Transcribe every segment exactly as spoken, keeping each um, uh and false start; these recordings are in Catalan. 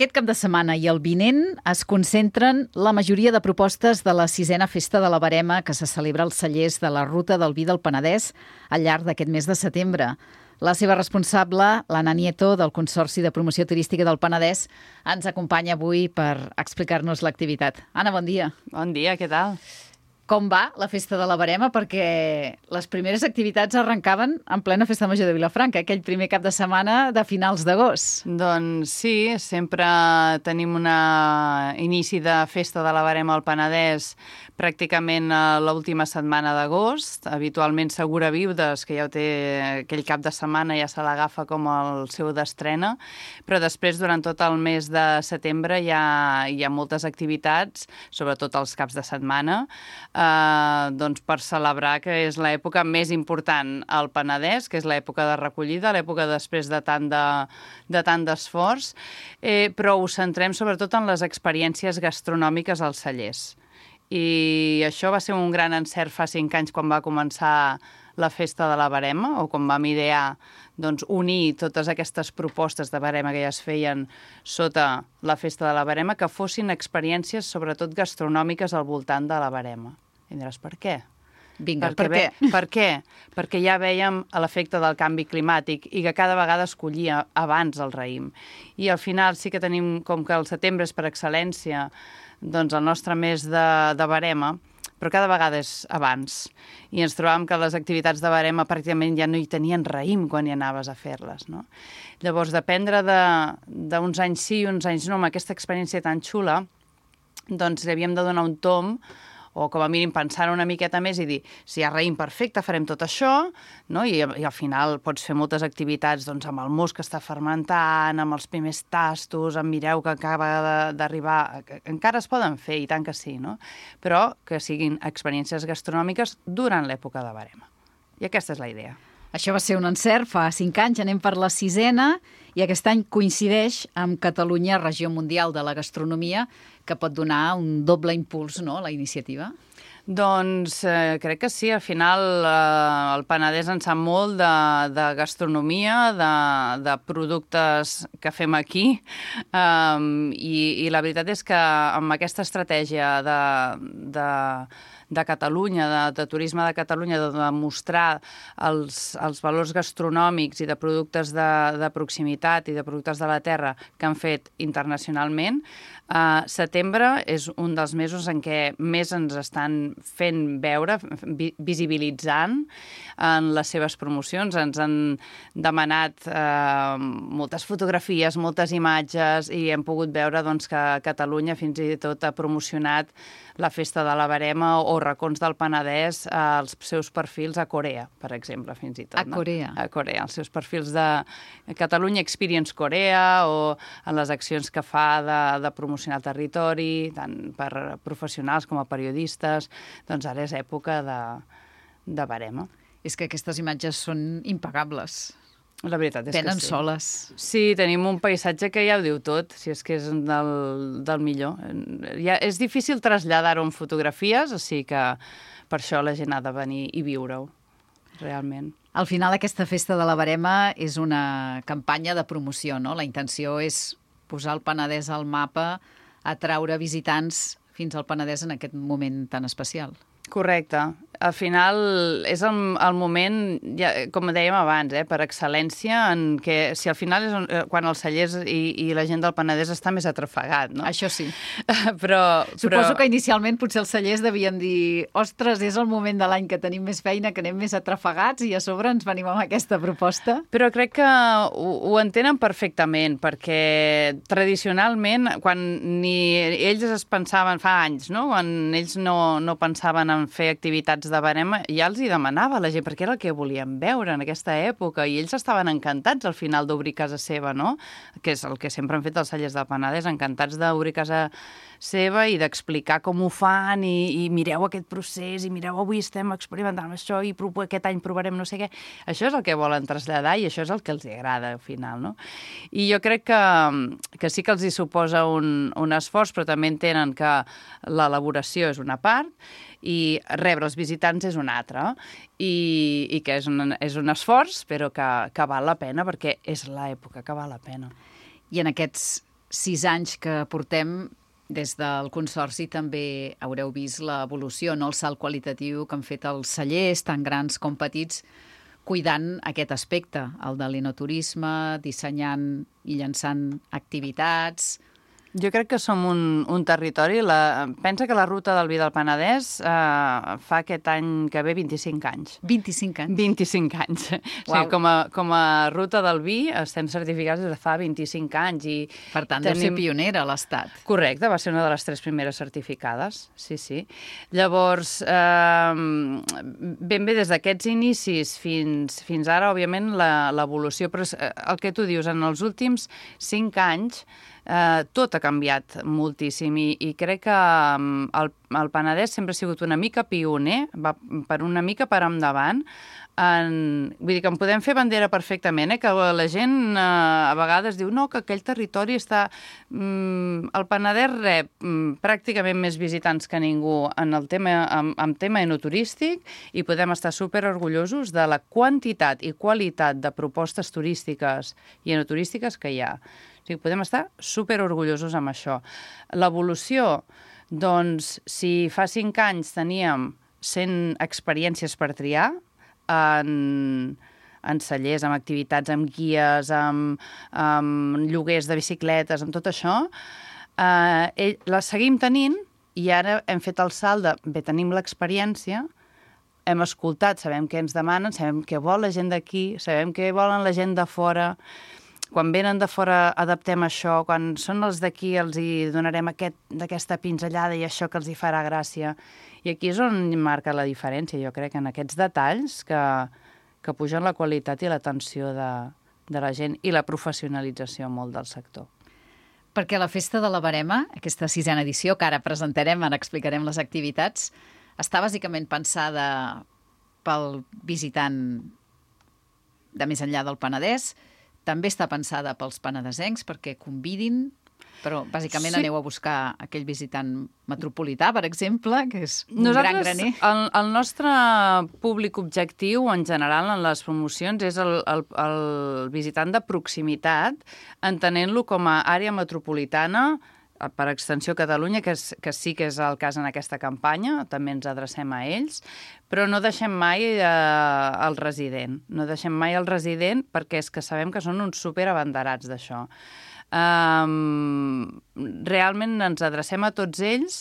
Aquest cap de setmana i el vinent es concentren la majoria de propostes de la sisena Festa de la Verema que se celebra als cellers de la Ruta del Vi del Penedès al llarg d'aquest mes de setembre. La seva responsable, l'Anna Nieto, del Consorci de Promoció Turística del Penedès, ens acompanya avui per explicar-nos l'activitat. Anna, bon dia. Bon dia, què tal? Com va la Festa de la Verema? Perquè les primeres activitats arrencaven en plena Festa Major de Vilafranca, aquell primer cap de setmana de finals d'agost. Doncs sí, sempre tenim un inici de Festa de la Verema al Penedès pràcticament a l'última setmana d'agost. Habitualment Segura Viudes, que ja ho té aquell cap de setmana, ja se l'agafa com el seu d'estrena, però després, durant tot el mes de setembre, hi ha, hi ha moltes activitats, sobretot els caps de setmana, eh, doncs per celebrar que és l'època més important al Penedès, que és l'època de recollida, l'època després de tant de, de tant d'esforç, eh, però ho centrem sobretot en les experiències gastronòmiques als cellers. I això va ser un gran encert fa cinc anys quan va començar la Festa de la Verema, o quan vam idear doncs, unir totes aquestes propostes de Verema que ja es feien sota la Festa de la Verema, que fossin experiències sobretot gastronòmiques al voltant de la Verema. I diràs, per què? Vinga, Perquè per què? Ve, per què? Perquè ja vèiem l'efecte del canvi climàtic i que cada vegada es collia abans el raïm. I al final sí que tenim, com que el setembre és per excel·lència, doncs el nostre mes de, de Verema, però cada vegada és abans. I ens trobàvem que les activitats de Verema pràcticament ja no hi tenien raïm quan hi anaves a fer-les, no? Llavors, dependre d'uns anys sí i uns anys no, amb aquesta experiència tan xula, doncs li havíem de donar un tom, o com a mínim pensar una miqueta més i dir, si hi ha raïm perfecte, farem tot això, no? I, i al final pots fer moltes activitats doncs, amb el mos que està fermentant, amb els primers tastos, amb mireu que acaba d'arribar, encara es poden fer, i tant que sí, no? Però que siguin experiències gastronòmiques durant l'època de Verema. I aquesta és la idea. Això va ser un encert, fa cinc anys, anem per la sisena, i aquest any coincideix amb Catalunya, Regió Mundial de la Gastronomia, que pot donar un doble impuls, no?, a la iniciativa. Doncs eh, crec que sí, al final eh, el Penedès en sap molt de, de gastronomia, de, de productes que fem aquí, um, i, i la veritat és que amb aquesta estratègia de, de, de Catalunya, de, de turisme de Catalunya, de demostrar els, els valors gastronòmics i de productes de, de proximitat i de productes de la terra que han fet internacionalment, Uh, setembre és un dels mesos en què més ens estan fent veure, vi visibilitzant en les seves promocions. Ens han demanat uh, moltes fotografies, moltes imatges, i hem pogut veure doncs, que Catalunya fins i tot ha promocionat la Festa de la Verema o racons del Penedès als seus perfils a Corea, per exemple, fins i tot. A Corea? No? A Corea, els seus perfils de Catalunya Experience Corea, o en les accions que fa de, de promocionar el territori, tant per professionals com a periodistes. Doncs ara és època de, de Verema. És que aquestes imatges són impagables. La veritat és Venen que sí. soles. Sí, tenim un paisatge que ja ho diu tot, si és que és del, del millor. Ja, és difícil traslladar-ho en fotografies, o sigui que per això la gent ha de venir i viure-ho, realment. Al final, aquesta Festa de la Verema és una campanya de promoció, no? La intenció és posar el Penedès al mapa, atraure visitants fins al Penedès en aquest moment tan especial. Correcte. Al final és el, el moment, ja, com dèiem abans, eh, per excel·lència, en què si al final és on, quan els cellers i, i la gent del Penedès està més atrafegat, no? Això sí. però, Suposo però... que inicialment potser els cellers devien dir ostres, és el moment de l'any que tenim més feina, que anem més atrafegats, i a sobre ens venim amb aquesta proposta. Però crec que ho, ho entenen perfectament, perquè tradicionalment, quan ni ells es pensaven fa anys, no? Quan ells no, no pensaven en fer activitats de Verema, ja els hi demanava a la gent, perquè era el que volien veure en aquesta època, i ells estaven encantats al final d'obrir casa seva, no? Que és el que sempre han fet els cellers del Penedès, encantats d'obrir casa seva i d'explicar com ho fan, i, i mireu aquest procés, i mireu, avui estem experimentant això, i aquest any provarem no sé què. Això és el que volen traslladar, i això és el que els agrada al final, no? I jo crec que, que sí que els hi suposa un, un esforç, però també entenen que l'elaboració és una part, i rebre els visitants és una altra, i, i que és un, és un esforç, però que, que val la pena, perquè és l'època que val la pena. I en aquests sis anys que portem, des del Consorci també haureu vist l'evolució, no? El salt qualitatiu que han fet els cellers, tan grans com petits, cuidant aquest aspecte, el de l'enoturisme, dissenyant i llançant activitats. Jo crec que som un, un territori... La, pensa que la ruta del vi del Penedès eh, fa aquest any que ve vint-i-cinc anys. vint-i-cinc anys? vint-i-cinc anys. O sigui, com, a, com a ruta del vi estem certificats des de fa vint-i-cinc anys. I per tant, tenim... deu ser pionera a l'Estat. Correcte, va ser una de les tres primeres certificades, sí, sí. Llavors, eh, ben bé, des d'aquests inicis fins, fins ara, òbviament, l'evolució, però el que tu dius, en els últims cinc anys, Eh, tot ha canviat moltíssim i, i crec que um, el, el Penedès sempre ha sigut una mica pioner, va per una mica per endavant. En, vull dir que en podem fer bandera perfectament, eh? Que la gent eh, a vegades diu no, que aquell territori està... Mm, el Penedès rep mm, pràcticament més visitants que ningú en el tema, en, en tema enoturístic i podem estar super orgullosos de la quantitat i qualitat de propostes turístiques i enoturístiques que hi ha. O sigui, podem estar super orgullosos amb això. L'evolució, doncs, si fa cinc anys teníem cent experiències per triar, en, en cellers, amb activitats, amb guies, amb, amb lloguers de bicicletes, amb tot això, eh, les seguim tenint i ara hem fet el salt de, bé, tenim l'experiència, hem escoltat, sabem què ens demanen, sabem què vol la gent d'aquí, sabem què volen la gent de fora. Quan venen de fora adaptem això, quan són els d'aquí els hi donarem aquest, d'aquesta pinzellada i això que els hi farà gràcia. I aquí és on marca la diferència, jo crec, en aquests detalls que, que pugen la qualitat i l'atenció de, de la gent i la professionalització molt del sector. Perquè la Festa de la Verema, aquesta sisena edició, que ara presentarem, ara explicarem les activitats, està bàsicament pensada pel visitant de més enllà del Penedès. També està pensada pels penedesencs perquè convidin, però bàsicament sí. Aneu a buscar aquell visitant metropolità, per exemple, que és un Nosaltres, gran graner. El, el nostre públic objectiu, en general, en les promocions, és el, el, el visitant de proximitat, entenent-lo com a àrea metropolitana, per extensió Catalunya, que, és, que sí que és el cas en aquesta campanya, també ens adrecem a ells, però no deixem mai eh, el resident. No deixem mai el resident perquè és que sabem que són uns superabanderats d'això. Um, realment ens adrecem a tots ells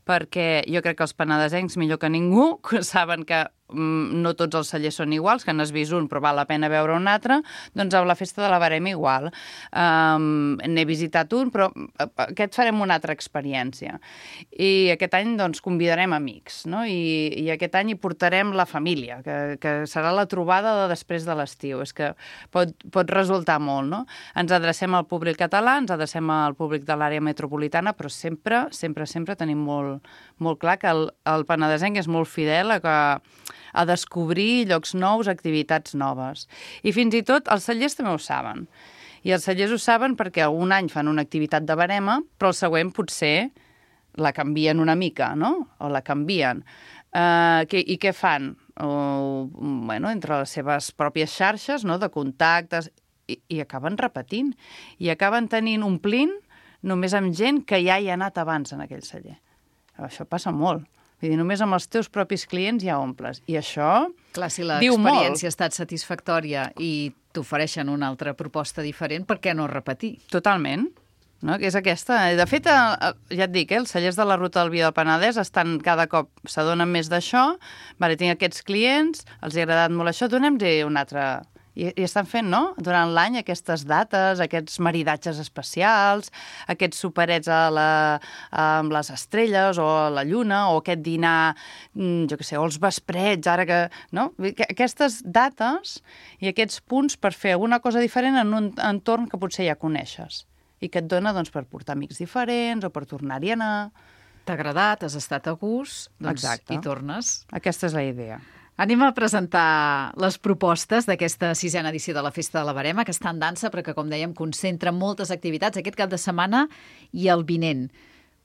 perquè jo crec que els penedesencs, millor que ningú, saben que um, no tots els cellers són iguals, que n'has vist un però val la pena veure un altre, doncs a la Festa de la Verema igual. Um, n'he visitat un, però aquest farem una altra experiència. I aquest any doncs convidarem amics, no? I, i aquest any hi portarem la família, que, que serà la trobada de després de l'estiu. És que pot, pot resultar molt, no? Ens adrecem al públic català, ens adrecem al públic de l'àrea metropolitana, però sempre, sempre, sempre tenim molt, molt clar que el, el penedesenc és molt fidel a, que, a descobrir llocs nous, activitats noves. I fins i tot els cellers també ho saben. I els cellers ho saben perquè un any fan una activitat de verema, però el següent potser la canvien una mica, no? O la canvien. Uh, que, I què fan? O, bueno, entre les seves pròpies xarxes, no?, de contactes, i, i acaben repetint. I acaben tenint, omplint, només amb gent que ja hi ha anat abans en aquell celler. Això passa molt. Vull dir, només amb els teus propis clients ja omples. I això clar, si diu molt. l'experiència ha estat satisfactòria i t'ofereixen una altra proposta diferent, per què no repetir? Totalment. No? Que és aquesta. De fet, ja et dic, eh, els cellers de la Ruta del Vi del Penedès estan cada cop, s'adonen més d'això. Vale, tinc aquests clients, els ha agradat molt això, donem-li un altre... I, I estan fent, no?, durant l'any aquestes dates, aquests maridatges especials, aquests superets a la, amb les estrelles o a la lluna, o aquest dinar, jo què sé, o els vesprets, ara que... no? Aquestes dates i aquests punts per fer alguna cosa diferent en un entorn que potser ja coneixes i que et dona doncs, per portar amics diferents o per tornar-hi a anar. T'ha agradat, has estat a gust, doncs Exacte. hi tornes. Aquesta és la idea. Anem a presentar les propostes d'aquesta sisena edició de la Festa de la Verema, que està en dansa, però que, com dèiem, concentra moltes activitats aquest cap de setmana i el vinent.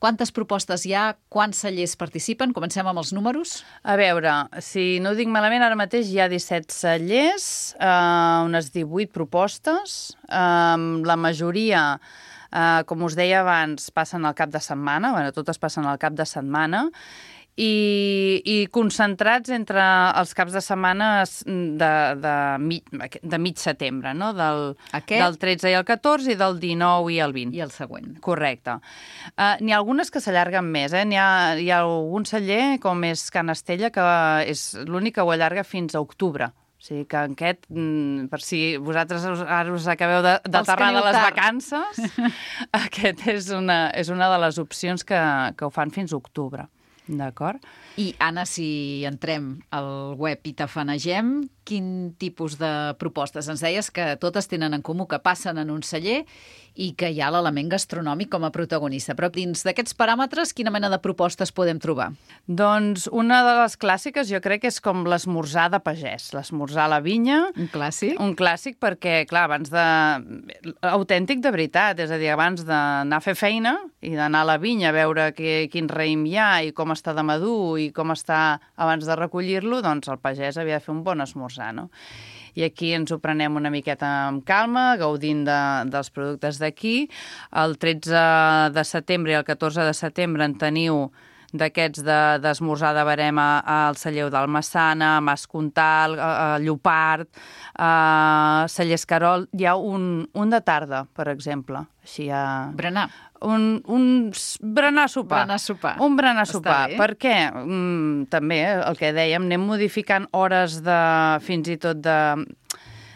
Quantes propostes hi ha? Quants cellers participen? Comencem amb els números. A veure, si no ho dic malament, ara mateix hi ha disset cellers, eh, unes divuit propostes. Eh, la majoria Uh, com us deia abans, passen al cap de setmana, bueno, totes passen al cap de setmana, i, i concentrats entre els caps de setmana de, de, mig, de mig setembre, no? Del, del tretze i el catorze i del dinou i el vint. I el següent. Correcte. Uh, n'hi ha algunes que s'allarguen més, eh? N'hi ha, hi ha algun celler, com és Can Estella, que és l'únic que ho allarga fins a octubre. O sigui que aquest, per si vosaltres ara us acabeu d'aterrar de les tard. vacances, aquest és una, és una de les opcions que, que ho fan fins a octubre. D'acord? I, Anna, si entrem al web i tafanegem, quin tipus de propostes? Ens deies que totes tenen en comú que passen en un celler i que hi ha l'element gastronòmic com a protagonista. Però dins d'aquests paràmetres, quina mena de propostes podem trobar? Doncs una de les clàssiques jo crec que és com l'esmorzar de pagès, l'esmorzar a la vinya. Un clàssic? Un clàssic perquè, clar, abans de... autèntic de veritat, és a dir, abans d'anar a fer feina i d'anar a la vinya a veure que, quin raïm hi ha i com està de madur i com està abans de recollir-lo, doncs el pagès havia de fer un bon esmorzar, no? I aquí ens ho prenem una miqueta amb calma, gaudint de, dels productes d'aquí. El tretze de setembre i el catorze de setembre en teniu d'aquests d'esmorzar de, de barema al celler del Massana, Mas Comtal, a, a Llopart, a celler Escarol. Hi ha un, un de tarda, per exemple. Així a... Berenar. Un, un berenar sopar. Berenar sopar. Un berenar sopar. Per què? Mm, també, el que dèiem, anem modificant hores de, fins i tot de,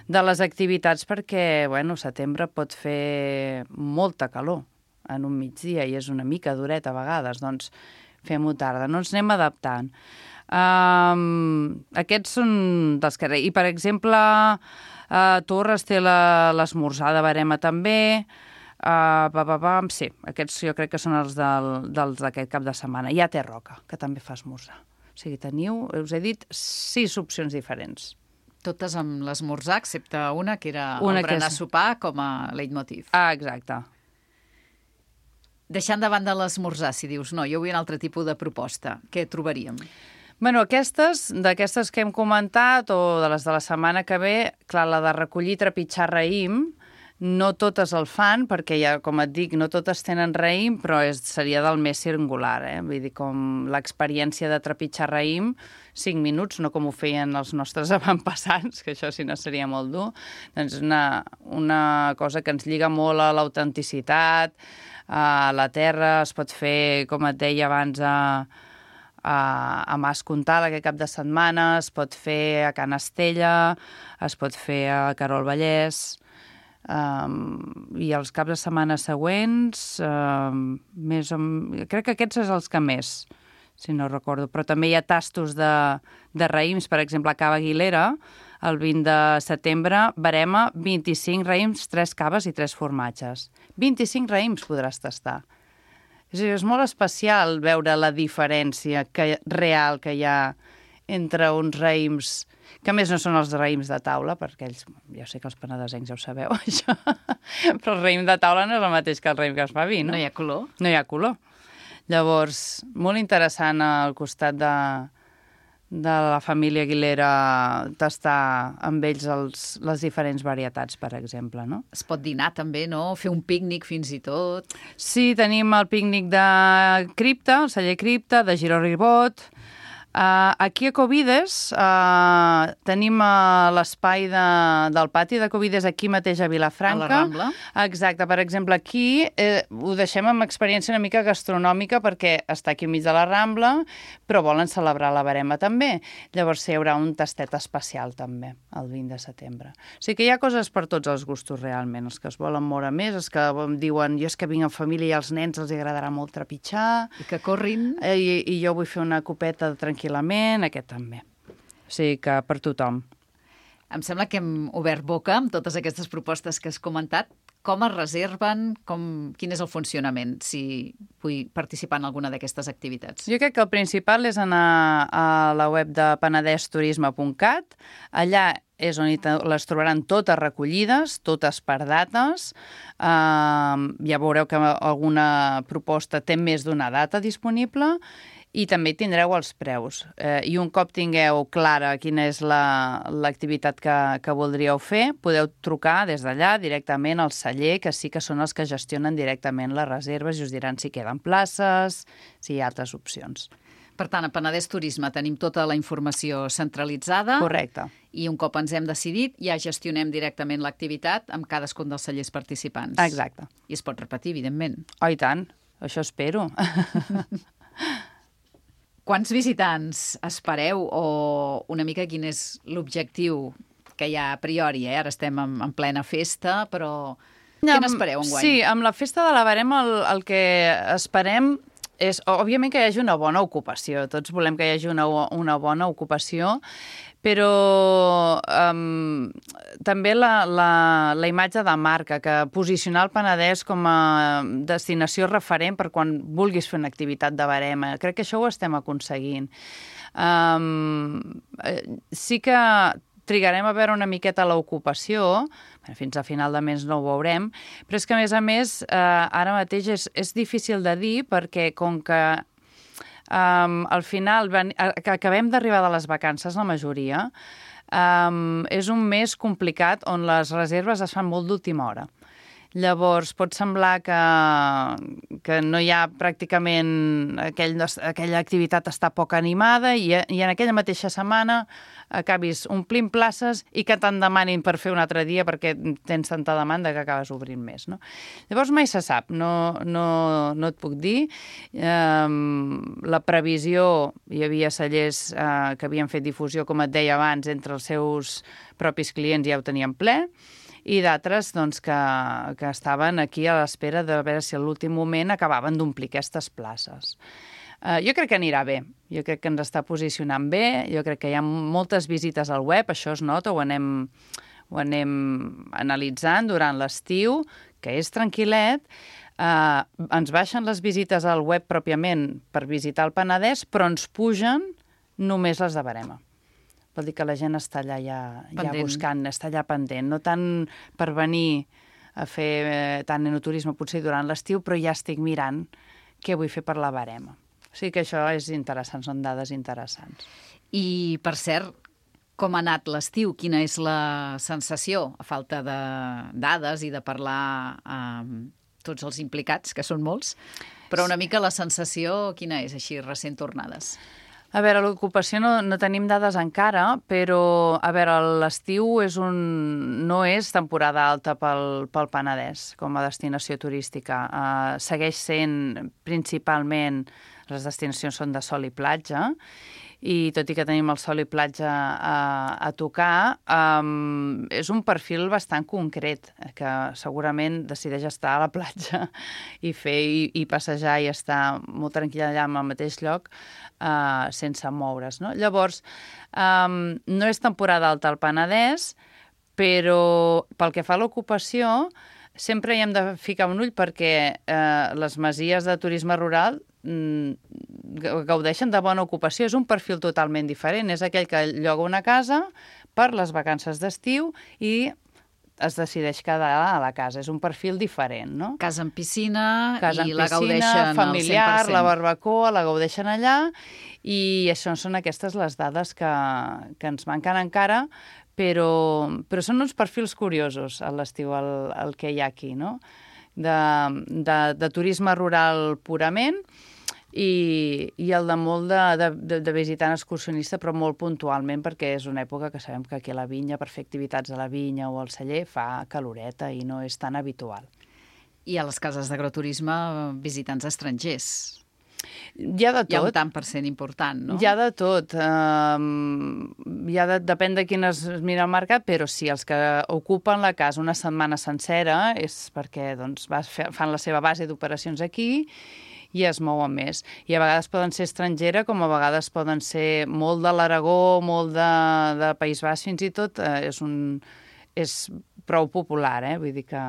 de les activitats perquè, bueno, setembre pot fer molta calor en un migdia i és una mica duret a vegades, doncs fem-ho tarda. No ens anem adaptant. Um, aquests són dels que... I, per exemple, uh, Torres té l'esmorzar de barema també. Uh, pa, pa, pa, sí, aquests jo crec que són els del, dels d'aquest cap de setmana. Hi ha Té Roca, que també fa esmorzar. O sigui, teniu, us he dit, sis opcions diferents. Totes amb l'esmorzar, excepte una, que era una el berenar és... sopar com a leitmotiv. Ah, exacte. Deixant de banda l'esmorzar, si dius, no, jo vull un altre tipus de proposta, què trobaríem? Bueno, aquestes, d'aquestes que hem comentat, o de les de la setmana que ve, clar, la de recollir i trepitjar raïm, no totes el fan, perquè ja, com et dic, no totes tenen raïm, però és, seria del més singular, eh? Vull dir, com l'experiència de trepitjar raïm, cinc minuts, no com ho feien els nostres avantpassats, que això si no seria molt dur, doncs una, una cosa que ens lliga molt a l'autenticitat, a la terra, es pot fer, com et deia abans, a, a, a Mas Comtal aquest cap de setmana, es pot fer a Can Estella, es pot fer a Querol Vallès, um, i els caps de setmana següents, um, més o... crec que aquests són els que més, si no recordo, però també hi ha tastos de, de raïms, per exemple, a Cava Aguilera, el vint de setembre, barema, vint-i-cinc raïms, tres caves i tres formatges. vint-i-cinc raïms podràs tastar. És a dir, és molt especial veure la diferència que, real que hi ha entre uns raïms, que a més no són els raïms de taula, perquè ells, ja sé que els penedesencs ja ho sabeu, això, però el raïm de taula no és el mateix que el raïm que es fa vi, no? No hi ha color. No hi ha color. Llavors, molt interessant al costat de, de la família Aguilera tastar amb ells els, les diferents varietats, per exemple, no? Es pot dinar també, no? Fer un pícnic fins i tot. Sí, tenim el pícnic de Cripta, el celler Cripta, de Giró Ribot. Uh, aquí a Covides uh, tenim uh, l'espai de, del pati de Covides aquí mateix a Vilafranca. A la Rambla. Exacte. Per exemple, aquí eh, ho deixem amb experiència una mica gastronòmica perquè està aquí enmig de la Rambla, però volen celebrar la barema també. Llavors hi haurà un tastet especial també, el vint de setembre. O sigui que hi ha coses per tots els gustos realment, els que es volen moure més, els que diuen jo és que vinc en família i als nens els agradarà molt trepitjar. I que corrin. Eh, i, I jo vull fer una copeta de tranquil·litat, aquest també. O sigui que per tothom. Em sembla que hem obert boca amb totes aquestes propostes que has comentat. Com es reserven? Com, quin és el funcionament si vull participar en alguna d'aquestes activitats? Jo crec que el principal és anar a la web de penedès turisme punt cat. Allà és on les trobaran totes recollides, totes per dates. Uh, ja veureu que alguna proposta té més d'una data disponible. i també hi tindreu els preus. Eh, I un cop tingueu clara quina és l'activitat que, que voldríeu fer, podeu trucar des d'allà directament al celler, que sí que són els que gestionen directament les reserves i us diran si queden places, si hi ha altres opcions. Per tant, a Penedès Turisme tenim tota la informació centralitzada. Correcte. I un cop ens hem decidit, ja gestionem directament l'activitat amb cadascun dels cellers participants. Exacte. I es pot repetir, evidentment. Oh, i tant. Això espero. Quants visitants espereu o una mica quin és l'objectiu que hi ha a priori? Eh? Ara estem en, en plena festa, però què n'espereu enguany? Sí, amb la festa de la Verema el, el que esperem és, òbviament, que hi hagi una bona ocupació. Tots volem que hi hagi una, una bona ocupació, però um, també la, la, la imatge de marca, que posicionar el Penedès com a destinació referent per quan vulguis fer una activitat de Verema. Crec que això ho estem aconseguint. Um, sí que trigarem a veure una miqueta l'ocupació, fins a final de mes no ho veurem, però és que, a més a més, eh, ara mateix és, és difícil de dir perquè com que um, al final ven, que acabem d'arribar de les vacances, la majoria, um, és un mes complicat on les reserves es fan molt d'última hora. Llavors, pot semblar que, que no hi ha pràcticament... Aquell, aquella activitat està poc animada i, i en aquella mateixa setmana acabis omplint places i que te'n demanin per fer un altre dia perquè tens tanta demanda que acabes obrint més. No? Llavors, mai se sap, no, no, no et puc dir. Um, la previsió, hi havia cellers uh, que havien fet difusió, com et deia abans, entre els seus propis clients ja ho tenien ple, i d'altres doncs, que, que estaven aquí a l'espera de veure si a l'últim moment acabaven d'omplir aquestes places. Uh, jo crec que anirà bé, jo crec que ens està posicionant bé, jo crec que hi ha moltes visites al web, això es nota, ho anem, ho anem analitzant durant l'estiu, que és tranquil·let, uh, ens baixen les visites al web pròpiament per visitar el Penedès, però ens pugen només les de Verema. Vol dir que la gent està allà ja, ja buscant, està allà pendent. No tant per venir a fer eh, tant enoturisme potser durant l'estiu, però ja estic mirant què vull fer per la Verema. O sigui que això és interessant, són dades interessants. I, per cert, com ha anat l'estiu? Quina és la sensació, a falta de dades i de parlar amb tots els implicats, que són molts, però una mica la sensació quina és, així, recent tornades? A veure, l'ocupació no, no tenim dades encara, però a veure, l'estiu és un, no és temporada alta pel, pel Penedès com a destinació turística. Uh, segueix sent principalment, les destinacions són de sol i platja, i tot i que tenim el sol i platja a, a tocar, um, és un perfil bastant concret, que segurament decideix estar a la platja i fer i, i passejar i estar molt tranquil allà en el mateix lloc, uh, sense moure's. No? Llavors, um, no és temporada alta al Penedès, però pel que fa a l'ocupació, sempre hi hem de ficar un ull perquè eh, les masies de turisme rural gaudeixen de bona ocupació. És un perfil totalment diferent. És aquell que lloga una casa per les vacances d'estiu i es decideix quedar a la casa. És un perfil diferent, no? Casa amb piscina casa i amb la piscina, gaudeixen familiar, al cent per cent. La barbacoa, la gaudeixen allà, i això són aquestes les dades que, que ens manquen encara, però, però són uns perfils curiosos a l'estiu, el, el que hi ha aquí, no? De, de, de turisme rural purament, i, i el de molt de, de, de visitant excursionista, però molt puntualment, perquè és una època que sabem que aquí a la vinya, per fer activitats a la vinya o al celler, fa caloreta i no és tan habitual. I a les cases d'agroturisme, visitants estrangers. Hi ha de tot. Hi ha un tant per cent important, no? Hi ha de tot. Um, hi ha de, depèn de quin es mira el mercat, però sí, els que ocupen la casa una setmana sencera és perquè doncs, fan la seva base d'operacions aquí i es mouen més. I a vegades poden ser estrangera, com a vegades poden ser molt de l'Aragó, molt de, de País Basc, fins i tot eh, és, un, és prou popular, eh? Vull dir que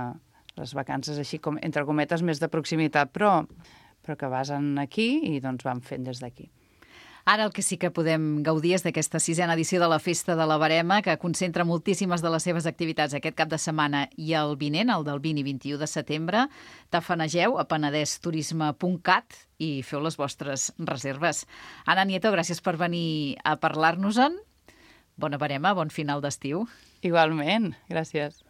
les vacances així, com, entre cometes, més de proximitat, però, però que basen aquí i doncs van fent des d'aquí. Ara el que sí que podem gaudir és d'aquesta sisena edició de la Festa de la Verema, que concentra moltíssimes de les seves activitats aquest cap de setmana i el vinent, el del vint i vint-i-u de setembre. Tafanegeu a penedesturisme punt cat i feu les vostres reserves. Anna Nieto, gràcies per venir a parlar-nos-en. Bona verema, bon final d'estiu. Igualment, gràcies.